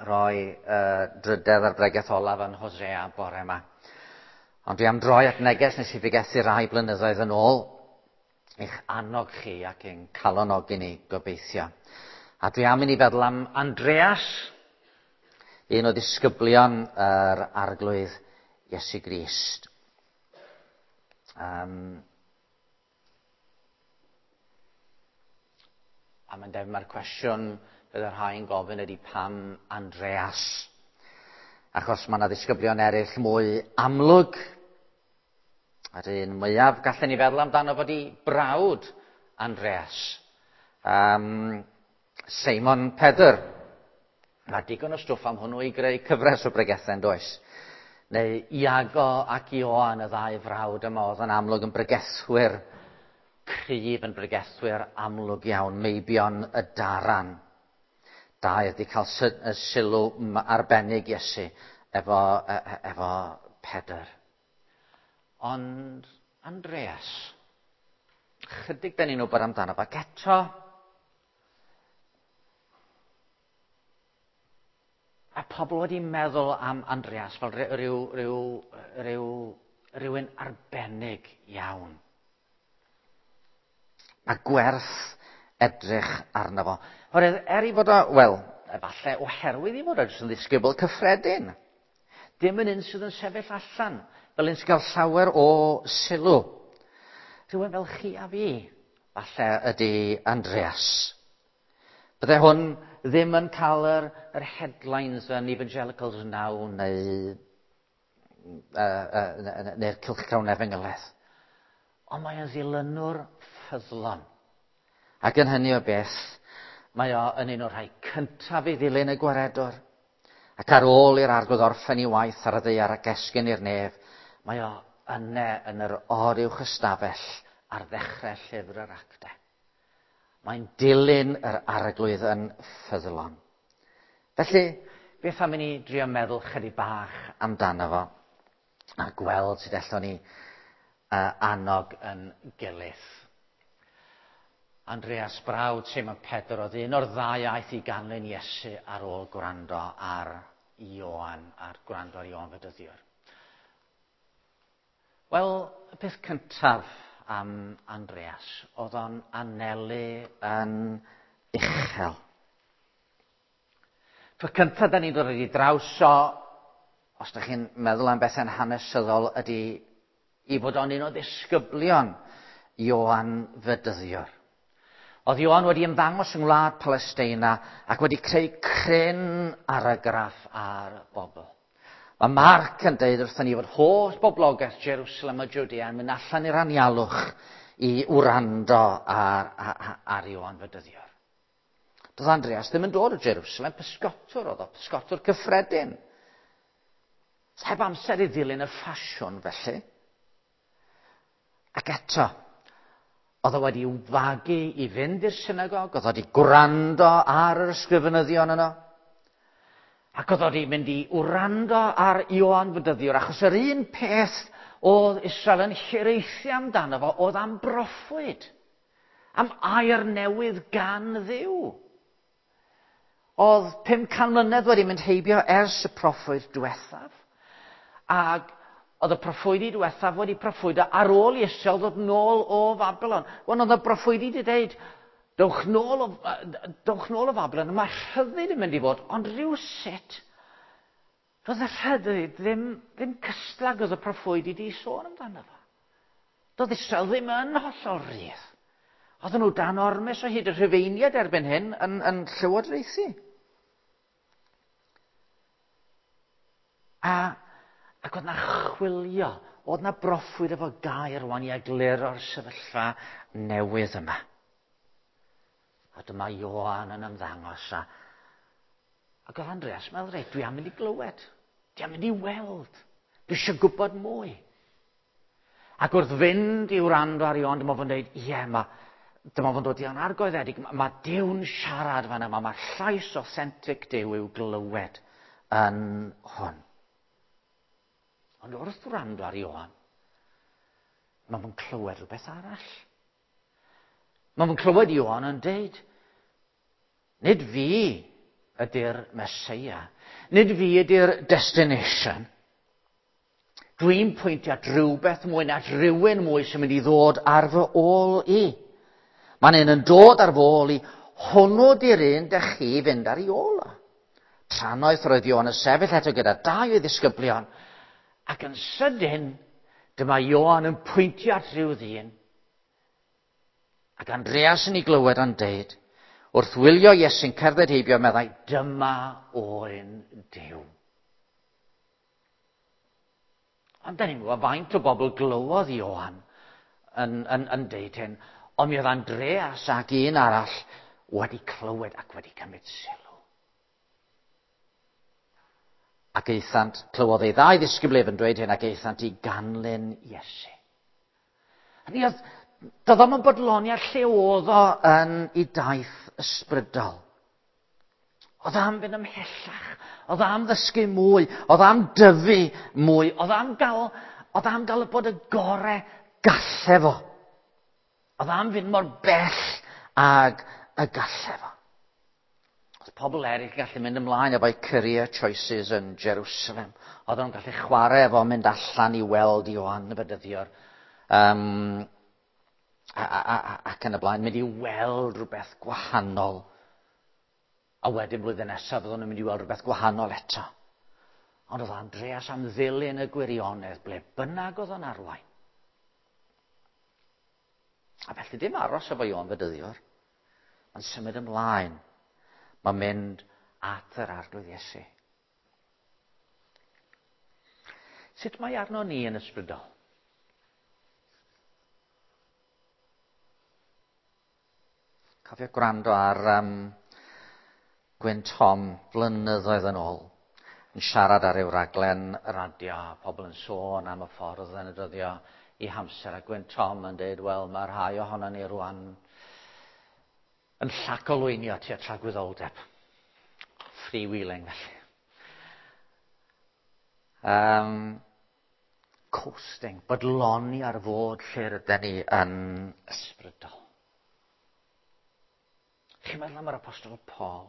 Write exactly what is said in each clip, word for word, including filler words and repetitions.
roi uh, drydedd ar bregeth olaf yn Hosea bore yma. Ond dwi am droi at neges nes i bregethu rai blynyddoedd yn ôl, eich annog chi ac ein calonogi ni gobeithio. A dwi am i ni feddwl am Andreas, un o ddisgyblion yr Arglwydd Iesu Grist. Um, a mae'n debyg mae'r cwestiwn bydd y rhai'n gofyn ydy pam Andreas? Achos mae yna ddisgyblion eraill mwy amlwg. A'r un mwyaf gallen ni feddwl amdano fod i brawd Andreas. Um, Seimon Pedr. Mae digon o stwff am hwnnw i greu cyfres o bregethau, yn does? Neu Iago ac Ioan, y ddau frawd yma, oedd yn amlwg yn bregethwyr cryf, yn bregethwyr amlwg iawn, meibion y daran. Dau wedi cael sylw arbennig Iesu efo, efo Pedr. Ond Andreas, chydig da ni'n wybod amdano fo, ac eto, a pobl wedi meddwl am Andreas fel rhyw, rhyw, rhyw, rhywun arbennig iawn. A gwerth edrych arno fo. Oherwydd, er i fod o, wel, efallai oherwydd i fod o jyst yn ddisgybl cyffredin. Dim yn un sydd yn sefyll allan, fel un sy'n cael llawer o sylw. Rhywun fel chi a fi, falle ydy Andreas. Bydde hwn ddim yn cael yr, yr headlines yn Evangelicals Now neu, uh, uh, neu'r cylchgrawn Efengyledd. Ond mae o'n ddilynwr ffyddlon. Ac yn hynny o beth, mae o yn un o'r rhai cyntaf i ddilyn y gwaredwr. Ac ar ôl i'r Arglwydd orffen ei waith ar y ddaear ac esgyn i'r nef, mae o yne yn yr oruwch ystafell ar ddechrau llyfr yr Actau. Mae'n dilyn yr Arglwydd yn ffyddlon. Felly, beth am i ni drio meddwl chydig bach amdano fo a gweld sut allwn ni uh, annog yn gilydd. Andreas brawd Seimon Pedr oedd un o'r ddau aeth i ganlyn Iesu ar ôl gwrando ar Ioan, ar gwrando ar Ioan Fedyddiwr. Wel, y peth cyntaf am Andreas, oedd o'n anelu yn uchel. Tro cyntaf da ni'n dod i draws o, os ydych chi'n meddwl am bethau'n hanesyddol, ydy i fod o'n un o ddisgyblion Ioan Fedyddiwr. Oedd Ioan wedi ymddangos yng ngwlad Palesteina ac wedi creu cryn argraff ar bobl. Mae Marc yn deud wrthyn ni fod holl boblogaeth Jerusalem a Judea yn mynd allan i'r anialwch i wrando ar, ar, ar Ioan Fedyddiwr. Doedd Andreas ddim yn dod o Jerusalem, pysgotwr oedd o, pysgotwr cyffredin. Heb amser i ddilyn y ffasiwn felly. Ac eto, oedd o wedi fagu i fynd i'r synagog, oedd o wedi gwrando ar yr ysgrifenyddion yno. Ac oedd o wedi mynd i wrando ar Ioan Fedyddiwr, achos yr un peth oedd Israel yn hiraethu amdano fo, oedd am broffwyd, am air newydd gan Dduw. Oedd pum can mlynedd wedi mynd heibio ers y proffwyd diwethaf, ac oedd y proffwydi diwethaf wedi proffwydo ar ôl i Israel ddod nôl o Fabilon. Wel, oedd y proffwydi wedi dweud, dowch nôl o, dowch nôl o Fabilon, mae rhyddid yn mynd i fod, ond rhywsut, doedd y rhyddid ddim, ddim cystal oedd y proffwydi wedi sôn amdano fo. Doedd Israel ddim yn hollol rydd. Oedden nhw dan ormes o hyd, y Rhufeiniaid erbyn hyn yn, yn llywodraethu. A Ac oedd na chwilio, oedd na broffwyd efo gair rwan i egluro'r sefyllfa newydd yma. A dyma Ioan yn ymddangos. A, ac oedd Andreas meddwl, reit, dwi am mynd i glywed, dwi am mynd i weld, dwi eisiau gwybod mwy. Ac wrth fynd i wrando ar Ioan, dyma fo'n dweud, ie, ma, dyma fo'n dod i anargoeddedig, mae ma Duw'n siarad fan yma, mae llais authentic Duw i'w glywed yn hwn. Ond wrth wrando ar Ioan, mae fo'n clywed rhywbeth arall. Mae fo'n clywed Ioan yn deud, nid fi ydy'r Meseia. Nid fi ydy'r destination. Dwi'n pwyntio at rhywbeth mwy na at rhywun mwy sy'n mynd i ddod ar fy ôl i. Mae'n un yn dod ar fy ôl i, hwnnw di'r un dych chi fynd ar ei ôl o. Trannoeth roedd Ioan yn sefyll eto gyda dau o'i ddisgyblion, ac yn sydyn, dyma Ioan yn pwyntio at rhyw ddyn. Ac Andreas yn ei glywed yn deud, wrth wylio Iesu'n cerdded heibio, meddai, dyma oen Duw. Ond da ni'n gwybod faint o bobl glywodd Ioan yn, yn, yn deud hyn, ond mi oedd Andreas ac un arall wedi clywed ac wedi cymryd sylw. Ac aethant, clywodd ei ddau ddisgybl ef yn dweud hyn, ac aethant i ganlyn Iesu. Hynny oedd, doedd o'm yn bodloni ar lle oedd o yn ei daith ysbrydol. Oedd am fynd ymhellach, oedd am ddysgu mwy, oedd am dyfu mwy, oedd am gael, oedd am gael bod y gore galle fo. Oedd am fynd mor bell ag y galle fo. Oedd pobl eraill yn gallu mynd ymlaen efo'u career choices yn Jerusalem. Oedd nhw'n gallu chwarae efo mynd allan i weld Ioan y Fedyddiwr. Um, a, a, a, ac yn y blaen, mynd i weld rhywbeth gwahanol. A wedyn blwyddyn nesaf fyddwn nhw'n mynd i weld rhywbeth gwahanol eto. Ond oedd Andreas am ddilyn y gwirionedd ble bynnag oedd o'n arwain. A felly dim aros efo Ioan Fedyddiwr. Mae'n symud ymlaen. Mae'n mynd at yr Arglwydd Iesu. Sut mae arno ni yn ysbrydol? Cofio gwrando ar um, Gwyn Tom flynyddoedd yn ôl yn siarad ar ryw raglen radio, pobl yn sôn am y ffordd yn y dyddio i hamser, a Gwyn Tom yn dweud, wel, mae rhai ohono ni rwan yn llacolwynio tua tragwyddoldeb. Freewheeling, felly. Um, coasting, bodloni ar fod lle rydyn ni yn ysbrydol. Chi'n meddwl am yr Apostol Paul?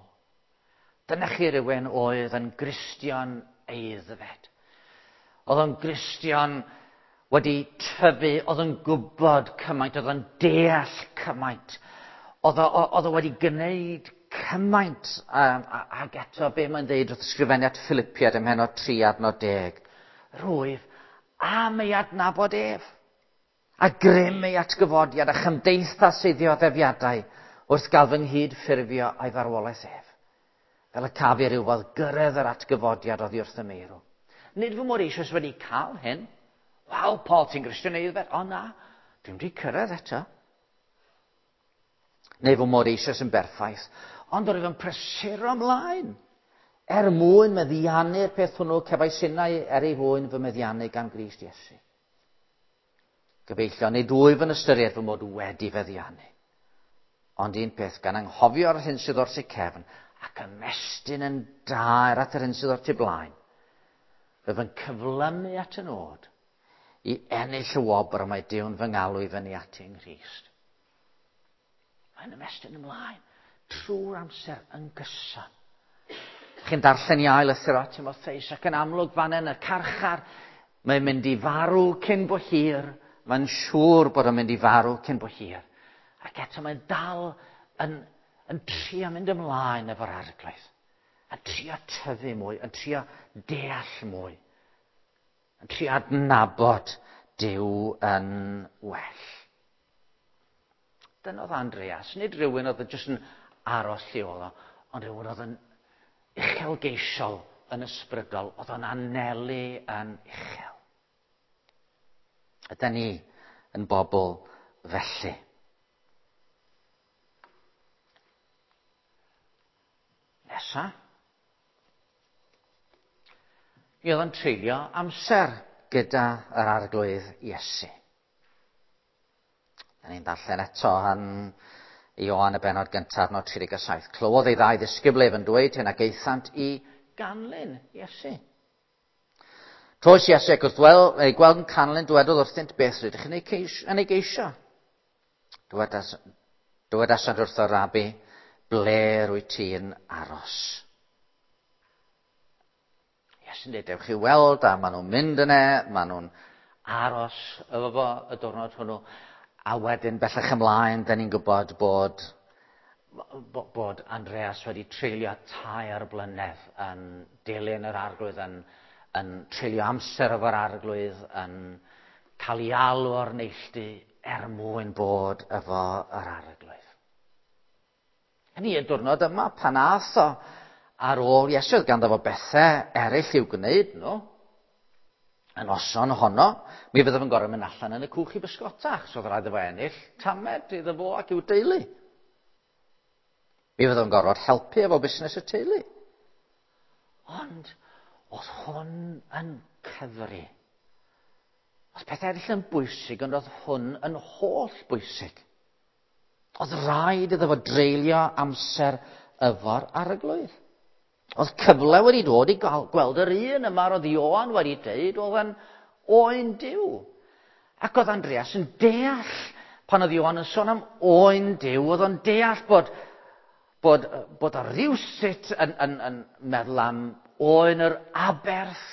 Dyna chi rywun oedd yn Gristion aeddfed. Oedd o'n Gristion wedi tyfu, oedd yn gwybod cymaint, oedd o'n deall cymaint. Oedd o, oedd o wedi gwneud cymaint, um, ac eto be mae'n dweud wrth ysgrifennu at Philippiaid ym mhennod tri adnod deg. Rwyf am ei adnabod ef, a grym ei atgyfodiad a chymdeithas ei ddioddefiadau wrth gael fy nghyd-ffurfio a'i farwolaeth ef. Fel y caf i rywfodd gyrraedd yr atgyfodiad oddi wrth y meirw. Nid fy mod eisoes wedi cael hyn. Waw, Paul, ti'n Gristion aeddfed? O na, dwi'm wedi cyrraedd eto. Neu fy mod eisoes yn berffaith, ond roedd yn prysuro ymlaen. Er mwyn meddiannu'r peth hwnnw, cefais innau er ei fwyn fy meddiannu gan Grist Iesu. Gyfeillion, nid wyf yn ystyried fy mod wedi feddiannu. Ond un peth, gan anghofio'r hyn sydd o'r tu cefn, ac ymestyn yn daer at yr hyn sydd o'r tu blaen, rwyf yn cyflymu at y nod i ennill y wobr y mae Duw'n fy ngalw i fyny ati yng Nghrist. Mae'n ymestyn ymlaen trwy'r amser yn gyson. Chi'n darllen i ail lythyr at Timotheus ac yn amlwg fan yn y carchar, mae'n mynd i farw cyn bo hir, mae'n siŵr bod o'n mynd i farw cyn bo hir. Ac eto mae'n dal yn, yn trio mynd ymlaen efo'r Arglwydd. Yn trio tyfu mwy, yn trio deall mwy. Yn trio adnabod Duw yn well. Dyna oedd Andreas, nid rhywun oedd jyst yn aros lle oedd o, ond rhywun oedd yn uchelgeisiol yn ysbrydol, oedd o'n anelu yn uchel. Ydy ni yn bobl felly? Nesa, mi oedd o'n treulio amser gyda yr Arglwydd Iesu. Da ni'n darllen eto yn Ioan y bennod gyntaf, adnod tri deg saith. Clywodd ei ddau ddisgybl ef yn dweud hyn ac aethant i ganlyn Iesu. Troes Iesu ac wrth wel, ei gweld yn canlyn, dywedodd wrthynt, beth rydych yn ei ceisio? Yn ei geisio? Dywedas, dywedasant wrtho Rabi, ble rwyt ti'n aros? Iesu'n dweud, dewch i weld, a maen nhw'n mynd yna, maen nhw'n aros efo fo y diwrnod hwnnw. A wedyn bellach ymlaen, da ni'n gwybod bod, bod Andreas wedi treulio tair blynedd yn dilyn yr Arglwydd, yn, yn treulio amser efo'r Arglwydd, yn cael ei alw o'r neilltu er mwyn bod efo yr Arglwydd. Hynny y diwrnod yma, pan ath o ar ôl Iesu, oedd ganddo fo bethau eraill i'w gwneud nhw. Y noson honno, mi fydde fo'n gorfod mynd allan yn y cwch i bysgota, achos oedd rhaid iddo fo ennill tamed iddo fo ac i'w deulu. Mi fydde fo'n gorfod helpu efo busnes y teulu. Ond oedd hwn yn cyfri. Oedd pethau eraill yn bwysig, ond oedd hwn yn holl bwysig. Oedd rhaid iddo fo dreulio amser efo'r Arglwydd. Oedd cyfle wedi dod i gweld yr un yma roedd Ioan wedi deud oedd yn oen Duw. Ac oedd Andreas yn deall, pan oedd Ioan yn sôn am oen Duw, oedd o'n deall bod, bod, bod o rywsut yn, yn, yn meddwl am oen yr aberth,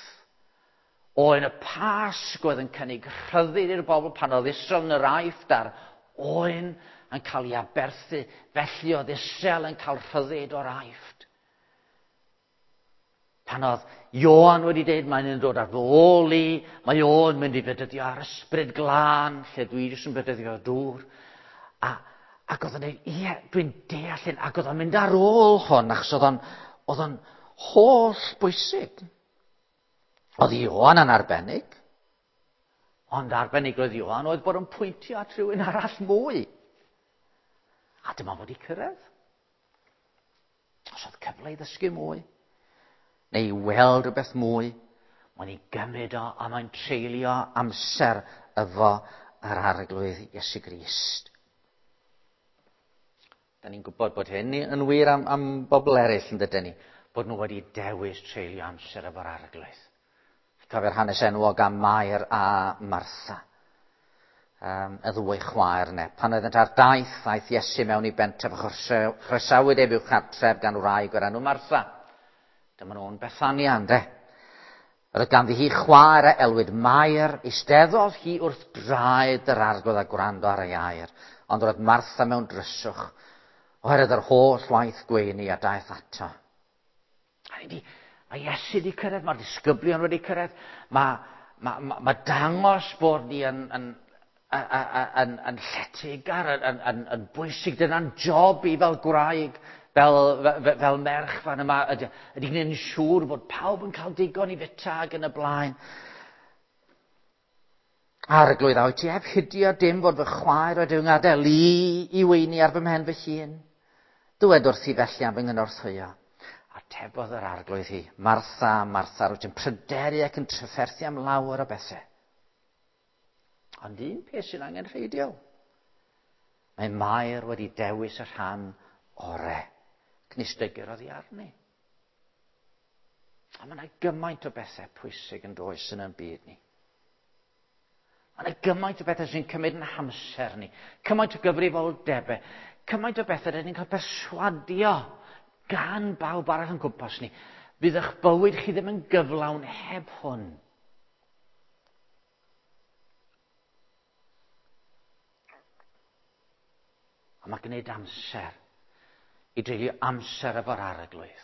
oen y Pasg oedd yn cynnig rhyddid i'r bobl pan oedd Israel yn yr Aifft a'r oen yn cael ei aberthu, felly oedd Israel yn cael rhyddid o'r Aifft. Pan oedd Ioan wedi dweud mae'n dod ar fy ôl i, mae o'n mynd i fedyddio ar ysbryd glân, lle dwi jyst yn bedyddio dŵr. A, ac oedd o'n dweud, ie, dwi'n deall hyn, ac oedd o'n mynd ar ôl hwn, achos oedd o'n, oedd o'n holl bwysig. Oedd Ioan yn arbennig, ond arbennig oedd Ioan oedd bod yn pwyntio at rhywun arall mwy. A dyma fod i cyrraedd. Os oedd cyfle i ddysgu mwy, neu i weld rhywbeth mwy, mae'n ei gymryd o a mae'n treulio amser efo yr Arglwydd Iesu Grist. Da ni'n gwybod bod hyn yn wir am, am bobl eraill, yn dydyn ni, bod nhw wedi dewis treulio amser efo'r Arglwydd. Cofio'r hanes enwog am Mair a Martha, um, y ddwy chwaer yna. Pan oeddent ar daith, aeth Iesu mewn i bentref a chroesawyd ef i'w chartref gan wraig o'r enw Martha. Dyma nhw'n Bethania, ynde? Roedd ganddi hi chwaer a elwyd Mair, eisteddodd hi wrth draed yr Arglwydd a gwrando ar ei air, ond roedd Martha mewn dryswch, oherwydd yr holl waith gweini a daeth ato. A di, mae Iesu wedi cyrraedd, mae'r disgyblion wedi cyrraedd, mae, mae, mae, mae dangos bod ni yn, yn, yn, yn, yn lletygar, yn, yn, yn bwysig, dyna'n job i fel gwraig, fel, fel, fel merch fan yma, ydy, ydy gwneud yn siŵr bod pawb yn cael digon i fita ac yn y blaen. Arglwydd, a wyt ti heb hidio dim fod fy chwaer wedi fy ngadael i i weini ar fy mhen fy hun? Dywed wrthi felly am fy nghynorthwyo. Atebodd yr Arglwydd hi, Martha, Martha, rwyt ti'n pryderu ac yn trafferthu am lawer o bethau. Ond un peth sy'n angenrheidiol. Mae Mair wedi dewis y rhan orau. Cnistygir oddi arni. A mae yna gymaint o bethau pwysig yn does yn ein byd ni. Mae yna gymaint o bethau sy'n cymryd yn hamser ni. Cymaint o gyfrifoldebau. Cymaint o bethau rydyn ni'n cael perswadio gan bawb arall yn gwmpas ni. Fydd eich bywyd chi ddim yn gyflawn heb hwn. A mae gwneud amser i dreulio amser efo'r Arglwydd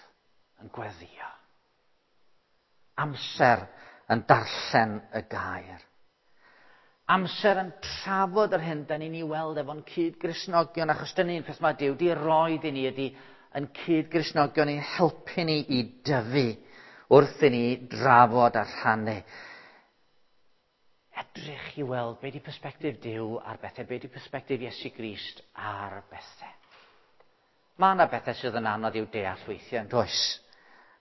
yn gweddio. Amser yn darllen y gair. Amser yn trafod yr hyn da ni'n ei weld efo'n cyd-Gristnogion, achos dyna un peth mae Duw di roed i ni ydy yn cyd-Gristnogion i'n helpu ni i dyfu wrth i ni drafod a rhannu. Edrych i weld be di persbectif Duw ar bethau, be di persbectif Iesu Grist ar bethau. Mae yna bethau sydd yn anodd i'w deall weithiau, yn does,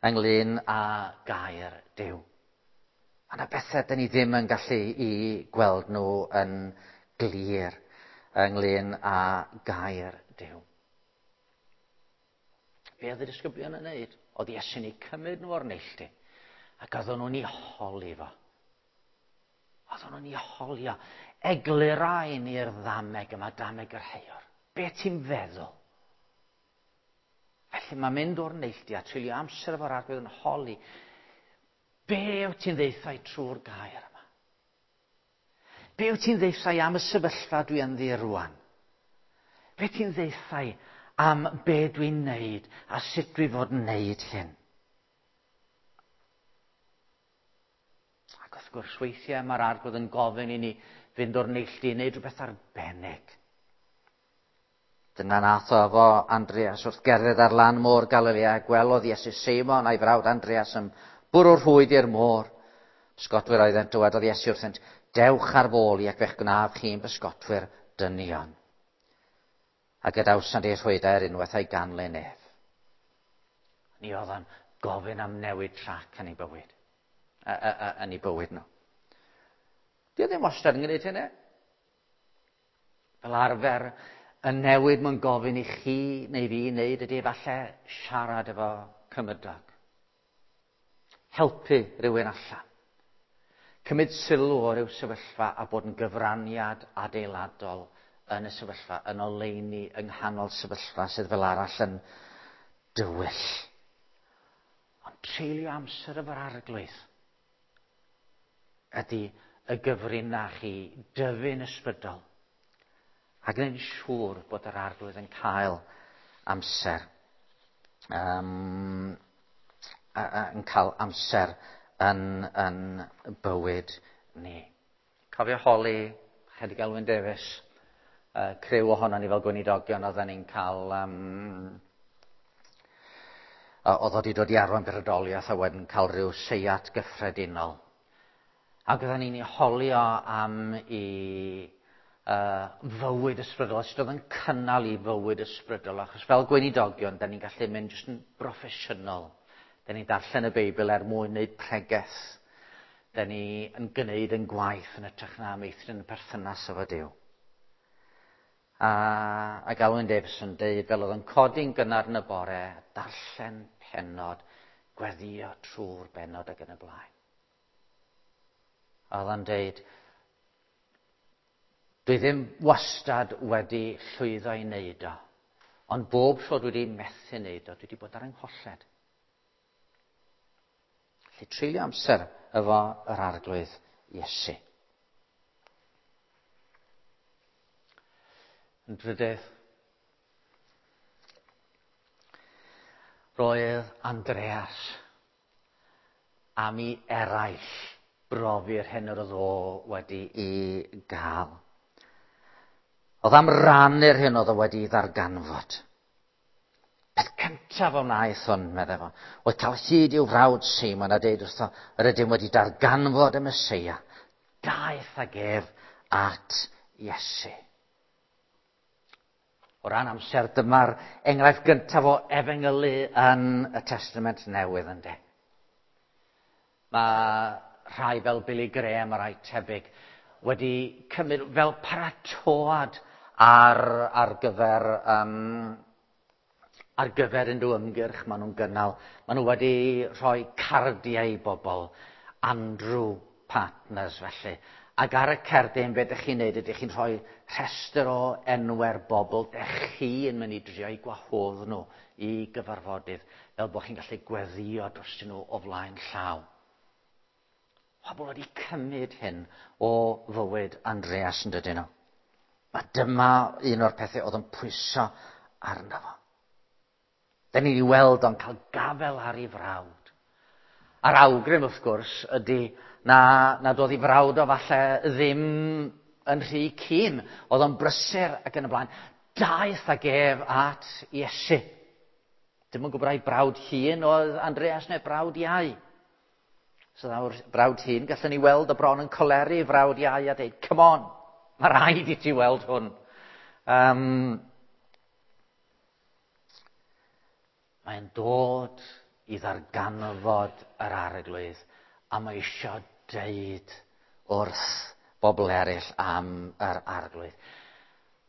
ynglyn â gair Duw. Mae yna bethau dyn ni ddim yn gallu i gweld nhw yn glir ynglyn â gair Duw. Be oedd y disgyblion yn wneud? Oedd Iesu'n eu cymryd nhw o'r neilltu, ac oedden nhw'n ei holi fo. Oedden nhw'n ei holio. Eglurau ni'r ddameg yma, dameg yr heior. Be ti'n feddwl? Felly mae mynd o'r neilltu a treulio amser efo'r Arglwydd yn holi. Be wyt ti'n ddeithau trwy'r gair yma? Be wyt ti'n ddeithau am y sefyllfa dwi ynddi rwan? Be ti'n ddeithau am be dwi'n neud a sut dwi fod yn neud hyn? Ac wrth gwrs weithiau mae'r Arglwydd yn gofyn i ni fynd o'r neilltu i wneud rhywbeth arbennig. Dyna nath o efo Andreas wrth gerdded ar lan môr Galilea, gwelodd Iesu Seimon a'i frawd Andreas yn bwrw'r rhwyd i'r môr. Pysgotwyr oeddent, dywedodd Iesu wrthynt, dewch ar fôl i ac fe'ch gwnaf chi'n bysgotwyr dynion. A gadawsant eu rhwydau ar unwaith a'i ganlyn ef. Ni oedd yn gofyn am newid trac yn ei bywyd. A, a, a, yn ei bywyd nhw. Di o ddim wastad yn gwneud hynny. Fel arfer, y newid mae'n gofyn i chi neu fi wneud ydy efallai siarad efo cymydog. Helpu rhywun allan. Cymryd sylw o ryw sefyllfa a bod yn gyfraniad adeiladol yn y sefyllfa, yn oleuni yng nghanol sefyllfa sydd fel arall yn dywyll. Ond treulio amser efo'r Arglwydd ydy y gyfrinach i dyfu'n ysbrydol a gwneud yn siŵr bod yr Arglwydd yn cael amser. Um, a, a, yn cael amser yn, yn bywyd ni. Cofio holi Chedig Elwyn Davies, uh, criw ohono ni fel gweinidogion oedden ni'n cael um, oedd wedi dod i arwain brydoliaeth a wedyn cael rhyw seiat gyffredinol. Ac oedden ni'n ei holio am i uh, fywyd ysbrydol, sut oedd yn cynnal i fywyd ysbrydol, achos fel gweinidogion, da ni'n gallu mynd jyst yn broffesiynol. Da ni'n darllen y Beibl er mwyn wneud pregeth. Da ni yn gwneud yn gwaith yn hytrach na meithrin y perthynas efo Duw. A, ac Alwyn Davies yn deud, fel oedd yn codi'n gynnar yn y bore, darllen pennod, gweddio trwy'r bennod ac yn y blaen. A oedd o'n deud, dwi ddim wastad wedi llwyddo i wneud o, ond bob tro dwi wedi methu wneud o, dwi wedi bod ar yngholled. Felly treulio amser efo yr Arglwydd Iesu. Yn drydydd, roedd Andreas am i eraill brofi'r hyn yr oedd o wedi i gael. Oedd am rannu'r hyn oedd o wedi i ddarganfod. Peth cyntaf o wnaeth hwn, meddai fo, oedd cael hyd i'w frawd Seimon a deud wrtho, yr ydym wedi darganfod y Meseia. Daeth ag ef at Iesu. O ran amser, dyma'r enghraifft gyntaf o efengylu yn y Testament Newydd, ynddo. Mae rhai fel Billy Graham a rhai tebyg wedi cymryd fel paratoad ar, ar gyfer um, ar gyfer unrhyw ymgyrch maen nhw'n gynnal. Maen nhw wedi rhoi cardiau i bobl, Andrew Partners felly. Ac ar y cerdyn, be ydych chi'n neud, ydych chi'n rhoi rhestr o enwau'r bobl dych chi yn mynd i drio i gwahodd nhw i gyfarfodydd, fel bod chi'n gallu gweddio drostyn nhw o flaen llaw. Pobl wedi cymryd hyn o fywyd Andreas yn dydyn nhw. A dyma un o'r pethau oedd yn pwyso arno fo. Da ni'n ei weld o'n cael gafel ar ei frawd. A'r awgrym, wrth gwrs, ydy na, nad oedd ei frawd o falle ddim yn rhy cyn. Oedd o'n brysur ac yn y blaen. Daeth ag ef at Iesu. Dim yn gwybod ai brawd hŷn oedd Andreas neu brawd iau. So nawr, brawd hŷn, gallwn ni weld y bron yn coleri frawd iau a dweud, come on, mae rhaid i ti weld hwn. Um, mae'n dod i ddarganfod yr Arglwydd a mae eisiau deud wrth bobl eraill am yr Arglwydd.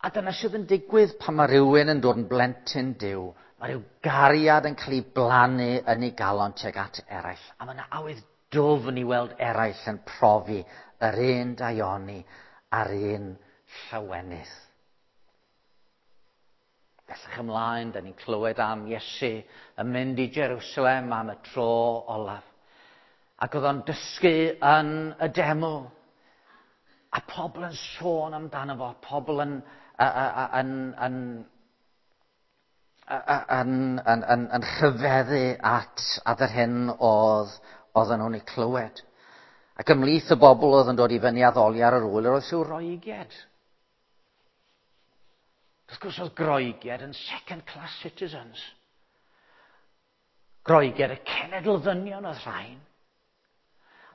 A dyna sydd yn digwydd pan mae rhywun yn dod yn blentyn Duw. Mae rhyw gariad yn cael ei blannu yn ei galon tuag at eraill. A mae yna awydd dwfn i weld eraill yn profi yr un daioni a'r un llawenydd. Bellach ymlaen, da ni'n clywed am Iesu yn mynd i Jerusalem am y tro olaf. Ac oedd o'n dysgu yn y deml. A pobl yn sôn amdano fo, pobl yn, yn, yn, yn, yn, yn, yn rhyfeddu at, at yr hyn oedd, oedden nhw'n ei clywed. Ac ymhlith y bobl oedd yn dod i fyny addoli ar yr ŵyl, yr oedd rhyw Roegiaid. Wrth gwrs oedd Groegiaid yn second class citizens. Groegiaid y cenedl ddynion oedd rhain.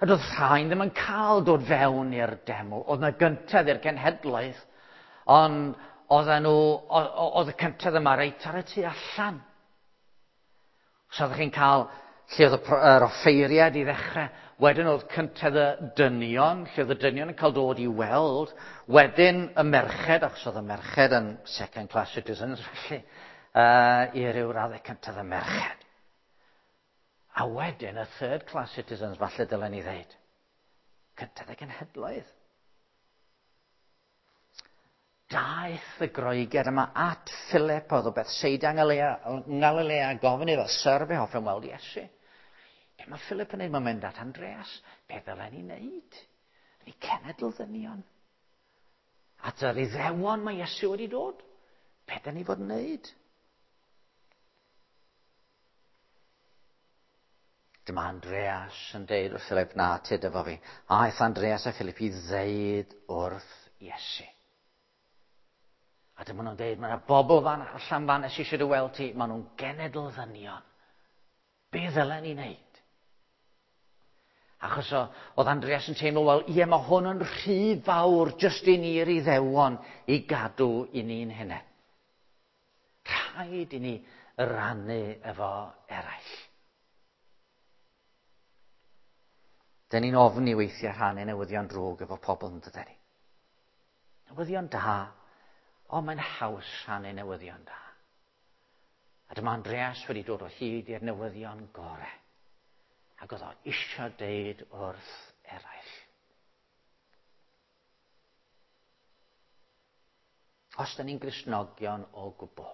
A doedd rhain ddim yn cael dod fewn i'r deml. Oedd yna gyntedd i'r genhedlaeth, ond oedden nhw, oedd y cyntedd yma reit ar y tu allan. So oeddech chi'n cael lle oedd yr offeiriad i ddechrau, wedyn oedd cyntedd y dynion, lle oedd y dynion yn cael dod i weld, wedyn y merched, achos oedd y merched yn second class citizens, felly, uh, i ryw raddau cyntedd y merched. A wedyn y third class citizens, falle dylen ni ddeud. Cyntedd y genhedloedd. Daeth y Groegiaid yma at Philip, oedd o Bethsaida yng Ngalilea, gofyn iddo, "Syr, fe hoffem weld Iesu." Be mae Philip yn neud? Mae'n mynd at Andreas. Be ddylen ni wneud? Ni cenedl ddynion. At yr Iddewon mae Iesu wedi dod. Be dyn ni fod yn wneud? Dyma Andreas yn deud wrth Philip, "Na, tyd efo fi." Aeth Andreas a Philip i ddeud wrth Iesu. A dyma nhw'n deud, "Mae yna bobl fan allan fan sydd eisiau dy weld ti, maen nhw'n genedl ddynion. Be ddylen ni wneud?" Achos o, oedd Andreas yn teimlo, wel, ie, mae hwn yn rhy fawr jyst i ni'r Iddewon i gadw i ni'n hunain. Rhaid i ni rannu efo eraill. Dyn ni'n ofni weithiau rhannu newyddion drwg efo pobl, yn dydyn ni? Newyddion da, o, mae'n haws rhannu newyddion da. A dyma Andreas wedi dod o hyd i'r newyddion gorau. Ac oedd o eisiau deud wrth eraill. Os da ni'n Gristnogion o gwbl,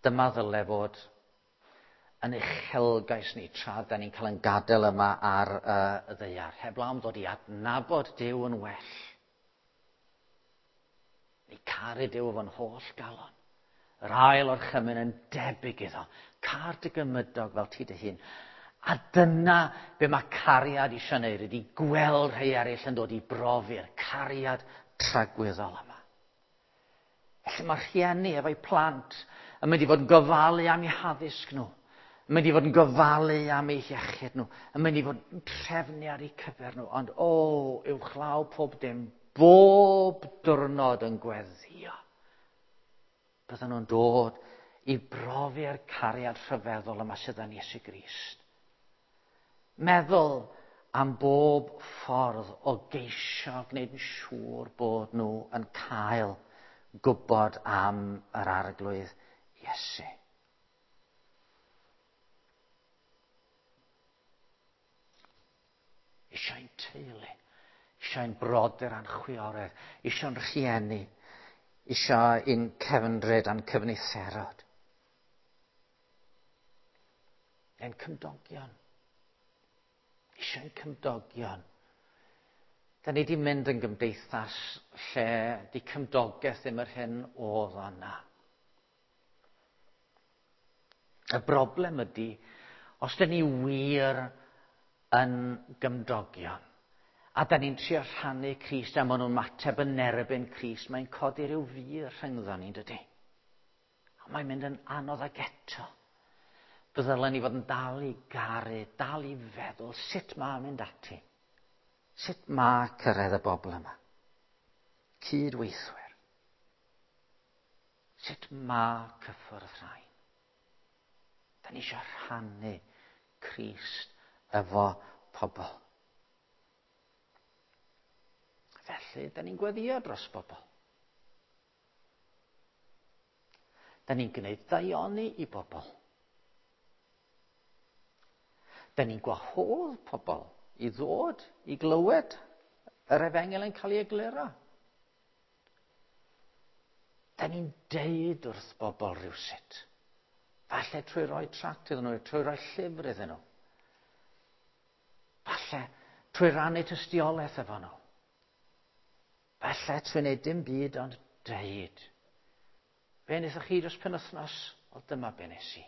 dyma ddyle fod yn uchelgais ni tra da ni'n cael yn gadael yma ar uh, y ddaear. Heblaw am ddod i adnabod Duw yn well. Ni caru Duw efo'n holl galon. Yr ail orchymyn yn debyg iddo. Car dy gymydog fel ti dy hun. A dyna be mae cariad eisiau wneud, ydy gweld rhai eraill yn dod i brofi'r cariad tragwyddol yma. Felly mae rhieni efo'u plant yn mynd i fod yn gofalu am eu haddysg nhw, yn mynd i fod yn gofalu am eu hiechyd nhw, yn mynd i fod yn trefnu ar eu cyfer nhw, ond o, uwchlaw pob dim, bob diwrnod yn gweddio. Bydden nhw'n dod i brofi'r cariad rhyfeddol yma sydd yn Iesu Grist. Meddwl am bob ffordd o geisio gwneud yn siŵr bod nhw yn cael gwybod am yr Arglwydd Iesu. Eisiau'n teulu, eisiau'n brodyr a'n chwiorydd, eisiau'n rhieni, eisiau ein cefndryd a'n cyfnitherod. Ein cymdogion. Eisiau'n cymdogion. Da ni wedi mynd yn gymdeithas lle di cymdogaeth ddim yr hyn oedd yna. Y broblem ydy, os da ni wir yn gymdogion, a da ni'n trio rhannu Crist a maen nhw'n mateb yn erbyn Crist, mae'n codi rhyw fur rhyngddo ni, dydy? A mae'n mynd yn anodd ag eto. Byddylen ni fod yn dal i garu, dal i feddwl sut mae mynd ati. Sut mae cyrraedd y bobl yma? Cydweithwyr. Sut mae cyffwrdd rhain? Da ni eisiau rhannu Crist efo pobl. Felly, da ni'n gweddio dros bobl. Da ni'n gwneud daioni i bobl. Da ni'n gwahodd pobl i ddod i glywed yr efengyl yn cael ei egluro. Da ni'n deud wrth bobl rhywsut. Falle trwy roi tract iddyn nhw, trwy roi llyfr iddyn nhw. Falle trwy rannu tystiolaeth efo nhw. Falle trwy wneud dim byd ond deud. Be wnaethoch chi dros penwythnos? Wel, dyma be nes i.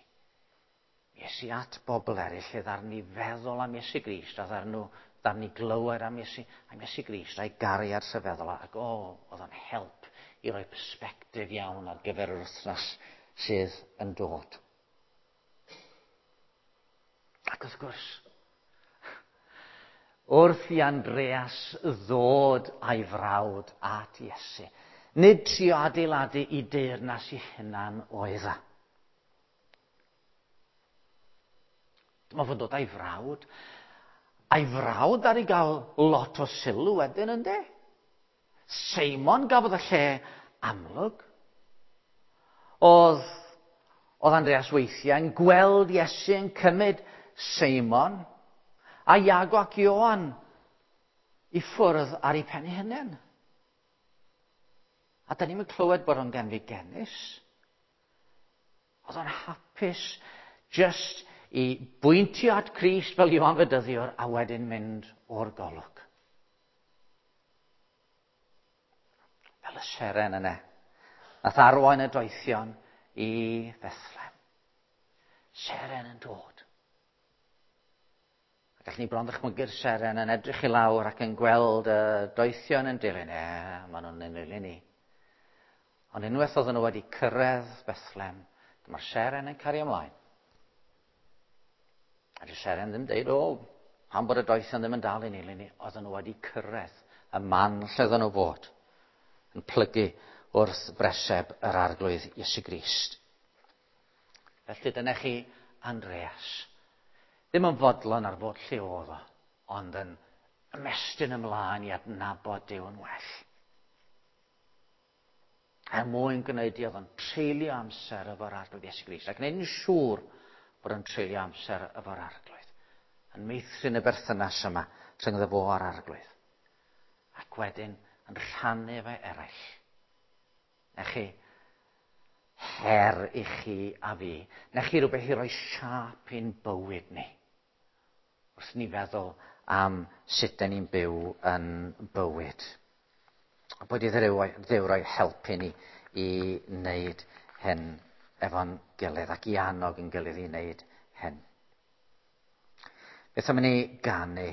Mi es i at bobl eraill lle ddaru ni feddwl am Iesu Grist, a ddaru nhw, ddaru ni glywed am Iesu, am Iesu Grist, a'i gariad rhyfeddol, ac o, oedd o'n help i roi persbectif iawn ar gyfer yr wythnos sydd yn dod. Ac wrth gwrs, wrth i Andreas ddod a'i frawd at Iesu, nid trio adeiladu i deyrnas i hunan oedd e. Dyma fo'n dod a'i frawd. A'i frawd ar ei gael lot o sylw wedyn, yndê? Seimon gafodd y lle amlwg. Oedd, oedd Andreas weithiau yn gweld Iesu yn cymryd Seimon a Iago ac Ioan i ffwrdd ar ei pen ei hunain. A da ni'n clywed bod o'n genfigennus. Oedd o'n hapus just i bwyntio at Crist fel Ioan Fedyddiwr a wedyn mynd o'r golwg. Fel y seren yna. Nath arwain y doethion i Bethlehem. Seren yn dod. A gallwn ni bron ddychmygu'r seren yn edrych i lawr ac yn gweld y doethion yn dilyn. E, maen nhw'n dilyn ni. Ond unwaith oedden nhw wedi cyrraedd Bethlehem, dyma'r seren yn cario ymlaen. A dy'r seren ddim deud, o, pam bod y doethion ddim yn dal i nilyn ni, oedden nhw wedi cyrraedd y man lle oedden nhw fod, yn plygu wrth breseb yr Arglwydd Iesu Grist. Felly dyna chi Andreas. Ddim yn fodlon ar fod lle oedd o, ond yn ymestyn ymlaen i adnabod Duw yn well. Er mwyn gwneud i oedd o'n treulio amser efo'r Arglwydd Iesu Grist, ac gwneud yn siŵr bod yn treulio amser efo'r Arglwydd. Yn meithrin y berthynas yma rhyngddo fo a'r Arglwydd. Ac wedyn yn rhannu efo eraill. Na chi her i chi a fi. Na chi rhywbeth i roi siâp i'n bywyd ni. Wrth ni feddwl am sut dan ni'n byw yn bywyd. A bod i Dduw roi help i ni i wneud hyn efo'n gilydd ac i annog yn gilydd i wneud hyn. Beth am i ni ganu